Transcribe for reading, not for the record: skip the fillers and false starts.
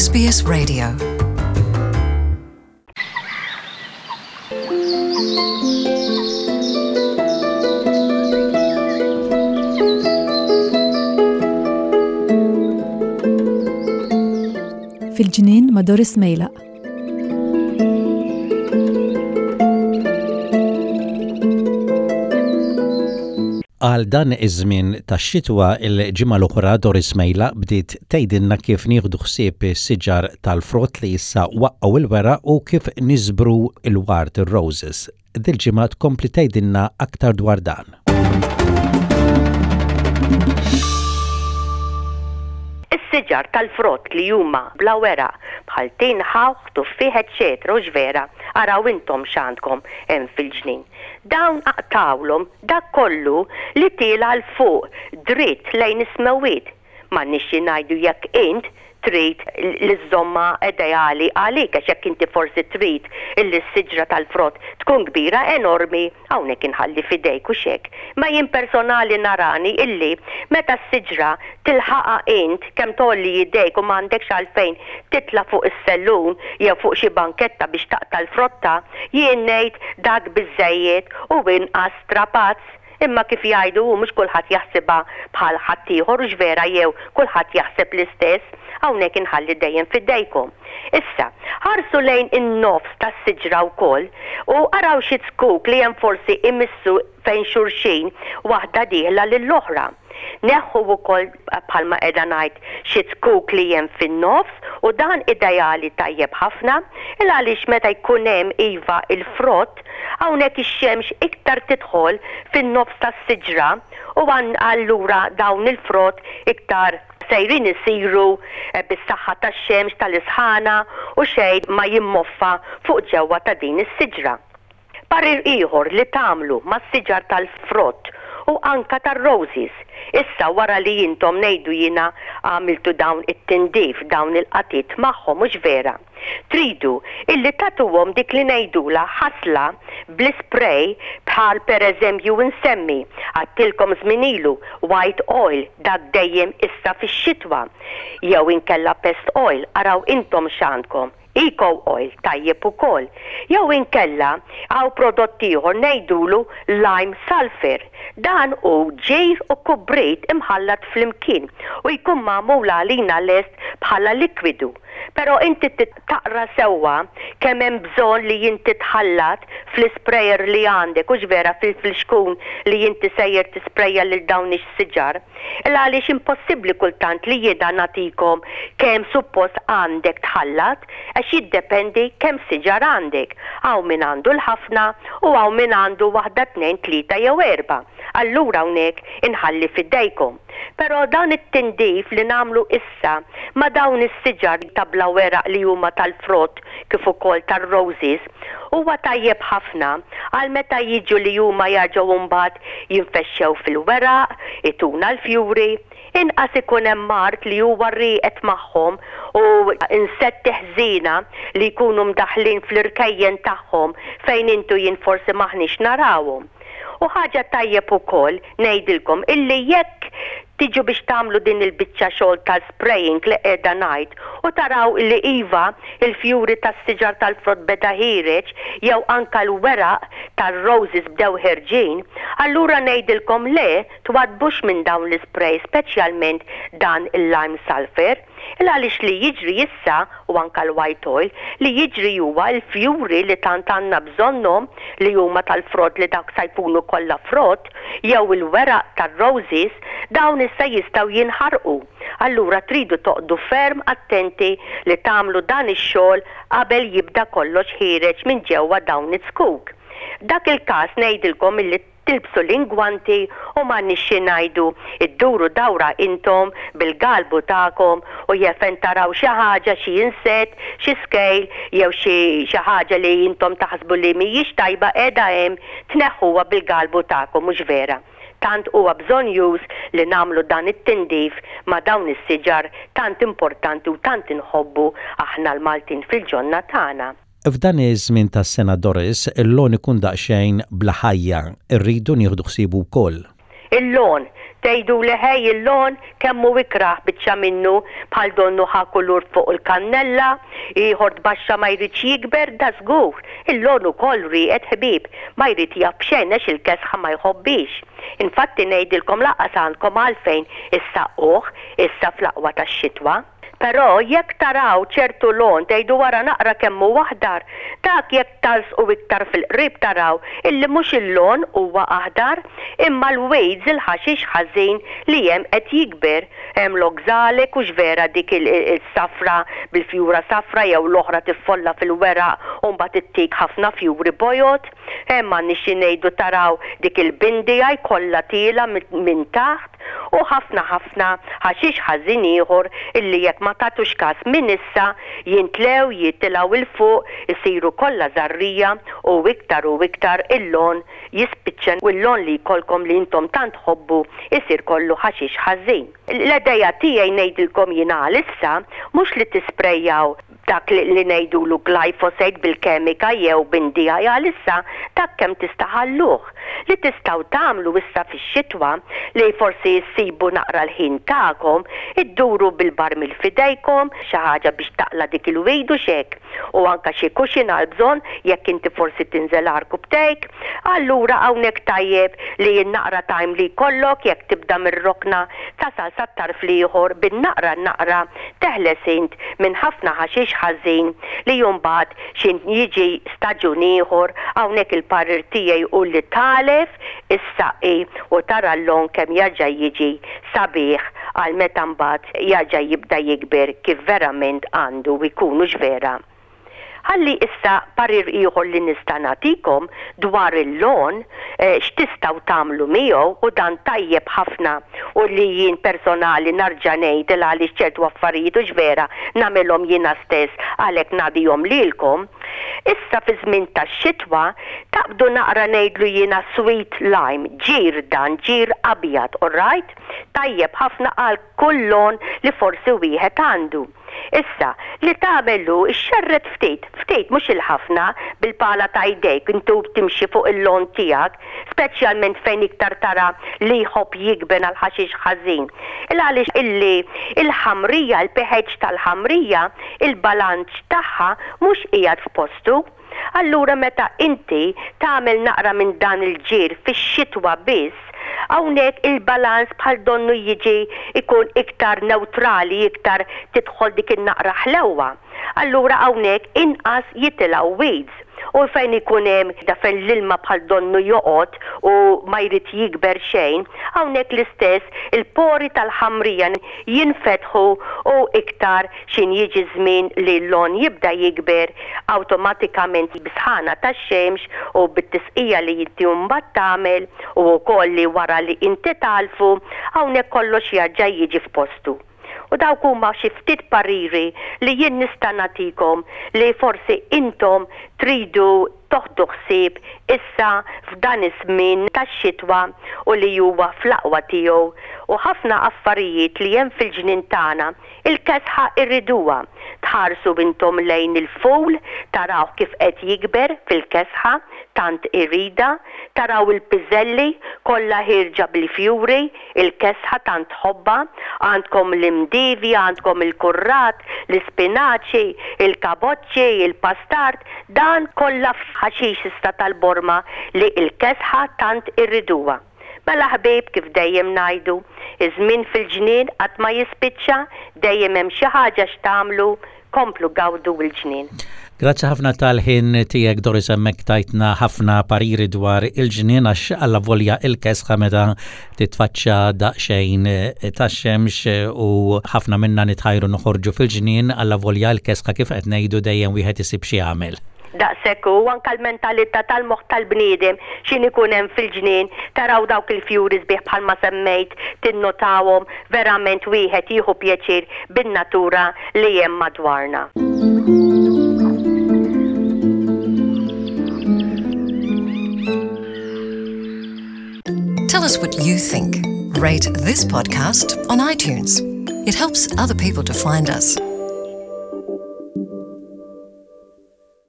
SBS Radio. Fil-ġnien ma' Doris Mejlaq. Għal dan iż-żmien tax-xitwa il-ġimgħa l-oħra Doris Mejla bdiet tgħidilna kif nieħdu ħsieb is-siġar tal-frott li issa waqqgħu il-weraq u kif niżbru l-ward ir-roses. Dil-ġimgħa tkompli tgħidilna aktar dwar dan. Is-siġar tal-frott li huma bla weraq bħal tin, ħawħ, tuffieħ eċċetera hux vera, araw intom x'għandkom hemm fil-ġnien. Dawn aqtgħulhom dak kollu li tiela' 'l fuq dritt lejn is-smewwiet. M'għandniex xi ngħidu jekk int trid li żżommha ideali għalik għax jekk inti forsi trid illi s-siġra tal-frott tkun kbira enormi, hawnhekk inħalli f'idejk hux hekk. Imma jien personali narani illi meta s-siġra tilħaqha int kemm tgħolli idejk u m'għandekx għalfejn titla' fuq is-sellun jew fuq xi banketta biex taqta' l-frotta, jien ngħid dak biżżejjed u inqas strapazz. Imma kif jgħidu hu mhux kulħadd jaħsibha bħal ħaddieħor hux vera jew kulħadd jaħseb l-istess, hawnhekk inħalli dejjem f'idejkom. Issa, ħarsu lejn in-nofs tas-siġra wkoll u araw xi zkuk li hemm forsi imissu fejn xulxin waħda dieħla lill-oħra. Neħħu wkoll bħalma qiegħda ngħid xi zkuk li hemm fin-nofs u dan ideali tajjeb ħafna il għaliex meta jkun hemm iva il-frott hawnhekk ix-xemx iktar tidħol fin-nofs tas-siġra u allura dawn il-frott iktar sejrin isiru bis-saħħa tax-xemx tal-isħana u xejn ma jimmoffa fuq ġewwa ta' din is-siġra. Parir ieħor li tagħmlu mas-siġar tal-frott u anka tar-roses, issa wara li intom ngħidu jiena għamiltu dawn it-tindif, dawn il-qatiet magħhom hux vera? Tridu illi tagħtuhom dik li ngħidulha ħasla bl-ispray bħal per eżempju nsemmi, għadtilkom żmien ilu, white oil dak dejjem issa fix-xitwa, jew inkella pest oil, araw intom x'għandkom. Eco oil tajjeb ukoll. Jew inkella hawn prodott ieħor ngħidulu lime sulphur. Dan hu ġir u kubrit imħallat flimkien u jkun magħmul għalina lest bħala likwidu. Però inti trid taqra sewwa kemm hemm bżonn li inti tħallat fl-isprayer li għandek hux vera fil-flixkun li inti sejjer tisprejja lil dawn ix-siġar. Il għaliex impossibbli kultant li jiena nagħtikom kemm suppost għandek tħallat għax jiddependi kemm siġar għandek. Hawn min għandu l-ħafna u hawn min għandu waħda tnejn tlieta jew erbgħa. Allura hawnhekk inħalli f'idejkom. Però dan it-tindif li nagħmlu issa ma' dawn is-siġar ta' bla weraq li huma tal-frott kif ukoll tar-roses huwa tajjeb ħafna għal meta jiġu li huma jerġgħu mbagħad jinfexxew fil-weraq, ituna l-fjuri, inqas ikun hemm mard li huwa rieqed magħhom u insetti ħżiena li jkunu mdaħħlin fl-irkejjen tagħhom fejn int u jien forsi m'aħniex narawhom. U ħaġa tajjeb ukoll ngħidilkom illi jekk tiġu biex tagħmlu din il-biċċa xogħol tal-spraying li qiegħda ngħid u taraw illi iva il-fjuri tas-siġar tal-frott beda ħiereġ jew anka l-weraq tar-roses bdew ħerġin, allura ngħidilkom le twaddbux minn dawn l-ispray speċjalment dan il-lime sulphur. Il għaliex li jiġri issa, u anka l-white oil, li jiġri huwa l-fjuri li tant għandna bżonnhom li huma tal-frott li dawk sa jkunu kollha frott, jew il-weraq tar-roses, dawn issa jistgħu jinħarqu. Allura tridu toqgħdu ferm attenti li tagħmlu dan ix-xogħol qabel jibda kollox ħiereġ minn ġewwa dawn iz-zkuk. F'dak il-każ ngħidilkom illi Tilbsu l-ingwanti u m'għandniex xi ngħidu, idduru dawra intom bil-galbu tagħkom u jefen taraw xi ħaġa, xi insett, xi scale jew xi xi ħaġa li intom taħsbu li mhijiex tajba qiegħda hemm, tneħħuha bil-galbu tagħkom, mhux vera? Tant huwa bżonnjuż li nagħmlu dan it-tindif ma' dawn is-siġar tant importanti u tant inħobbu aħna l-Maltin fil-ġonna tagħna. F'dan iż-żmien tas-sena Doris, il-lawn ikun daqsxejn bla ħajja, irridu nieħdu ħsiebu wkoll. Il-lawn, tgħiduli ħej il-lawn kemm hu ikrah biċċa minnu bħal donnu ħa kulur fuq il-kannella, ieħor tbaxxa ma jridx jikber, dażgur, il-lawn ukoll rieqed ħbieb, ma jrid jaf b'xejn għax il-kesħa ma jħobbhiex. Infatti ngħidilkom lanqas għandkom għalfejn issaqquh issa fl-aqwa tax-xitwa. Però jekk taraw ċertu lon tgħidu ara naqra kemm hu aħdar, dak jekk talsqu iktar fil-qrib taraw illi mhux il-lon huwa aħdar, imma l-weeds il-ħaxix ħażin li hemm qed jikber. Hemm l-oxalic hux vera dik is-safra bil-fjura safra jew l-oħra tiffolla fil-weraq u mbagħad ittik ħafna fjuri bojod. Hemm m'għandniex xi ngħidu taraw dik il-bindija jkollha tiela' minn taħt. U ħafna ħafna ħaxix ħażin ieħor illi jekk ma tagħtux kas minn issa, jintlew, jitilgħu 'l fuq, isiru kollha żarrija u iktar u iktar il-lon jispiċċa u l-lon li jkollkom li intom tant tħobbu jsir kollu ħaxix ħażin. L-idea tiegħi ngħidilkom jien għalissa mhux li tisprejjaw dak li ngħidulu glyphosate bil-kemika jew b'NDI għalissa dak kemm tista' ħalluh. Li tistgħu tagħmlu issa fix-xitwa li forsi issibu naqra l-ħin tagħkom, idduru bil-barmil f'idejkom, xi ħaġa biex taqla' dik il-weed u x'hekk, u anke xi cushion għall-bżonn jekk inti forsi tinżel għarkupptejk. Allura hawnhekk tajjeb li n-naqra time li jkollok jekk tibda mir-rokna tasal sat-tarf l-ieħor bin-naqra n-naqra teħles int minn ħafna ħaxix ħażin li mbagħad x'int jiġi staġun ieħor, hawnhekk il-parir tiegħi hu li tagħlef, issaqqi u tara l-lon kemm jerġa' jiġi sabiħ għal meta mbagħad jerġa' jibda jikber kif verament għandu jkun hux vera? Ħalli issa parir ieħor li nista' nagħtikom dwar il-lawn, x'tistgħu tagħmlu miegħu u dan tajjeb ħafna u li jien personali narġa' ngħid il għaliex ċertu affarijiet hux vera nagħmilhom jiena stess għalhekk nagħdihom lilkom. Issa fiż-żmien tax-xitwa taqbdu naqra ngħidlu jiena sweet lime, ġir dan, ġir abjad, alright? Tajjeb ħafna għal kull lawn li forsi wieħed għandu. Issa, li tagħmel hu xxerred ftit, ftit mhux il-ħafna, bil-pala ta' jdejk inti u timxi fuq il-lawn tiegħek, speċjalment fejn iktar tara li jħobb jikber għall-ħaxix ħażin. Il għaliex illi l-ħamrija, il-pH tal-ħamrija, il-balanċ tagħha mhux qiegħed f'postu. Allura meta inti tagħmel naqra minn dan il-ġir fix-xitwa biss, hawnhekk il-balanz bħal donnu jiġi jkun iktar newtrali, iktar tidħol dik in-naqra ħlewwa. Allura hawnhekk inqas jitilgħu weeds. U fejn ikun hemm da fejn l-ilma bħal donnu joqgħod u ma jrid jikber xejn, hawnhekk l-istess il-pori tal-ħamrija jinfetħu u iktar X'in jiġi ż-żmien li l-lawn jibda jikber, awtomatikament bis-sħana tax-xemx u bit-tisqija li inti mbagħad tagħmel u wkoll li wara li inti tagħlfu, hawnhekk kollox jarġa' jiġi f'postu. U dawk huma xi ftit pariri li jien nista' nagħtikom li forsi intom tridu toħdu ħsieb issa f'dan iż-żmien tax-xitwa u li huwa fl-aqwa tiegħu u ħafna affarijiet li hemm fil-ġnien tagħna Il-kesħa irriduha. Tħarsu intom lejn il-ful, tarawh kif qed jikber fil-kesħa, tant iridha. Taraw il-piżelli, kollha ħierġa bil-fjuri, il-kesħa tant tħobbha. Għandkom l-imdievi, għandkom il-kurrat, l-ispinaċi, il-kaboċċi, il-pastard, dan kollha ħaxix issa tal-borma li l-kesħa tant irriduha. Mela ħbieb kif dejjem ngħidu, iż-żmien fil-ġnien qatt ma jispiċċa, dejjem hemm xi ħaġa x'tagħmlu, komplu gawdu l-ġnien. Grazzi ħafna tal-ħin tiegħek Doris hemmhekk tajtna ħafna pariri dwar il-ġnien għax allavolja il-kesħa meta titfaċċa daqsxejn tax-xemx u ħafna minna nitħajru noħorġu fil-ġnien allavolja l-kesħa kif qed ngħidu dejjem wieħed isib xi jagħmel. Daqshekk hu, anke l-mentalità tal-moħħ tal-bniedem x'in ikun hemm fil-ġnien, taraw dawk il-fjuri sbieħ bħalma semmejt, tinnotawhom, verament wieħed jieħu pjaċir bin-natura li hemm madwarna. Tell us what you think. Rate this podcast on iTunes. It helps other people to find us.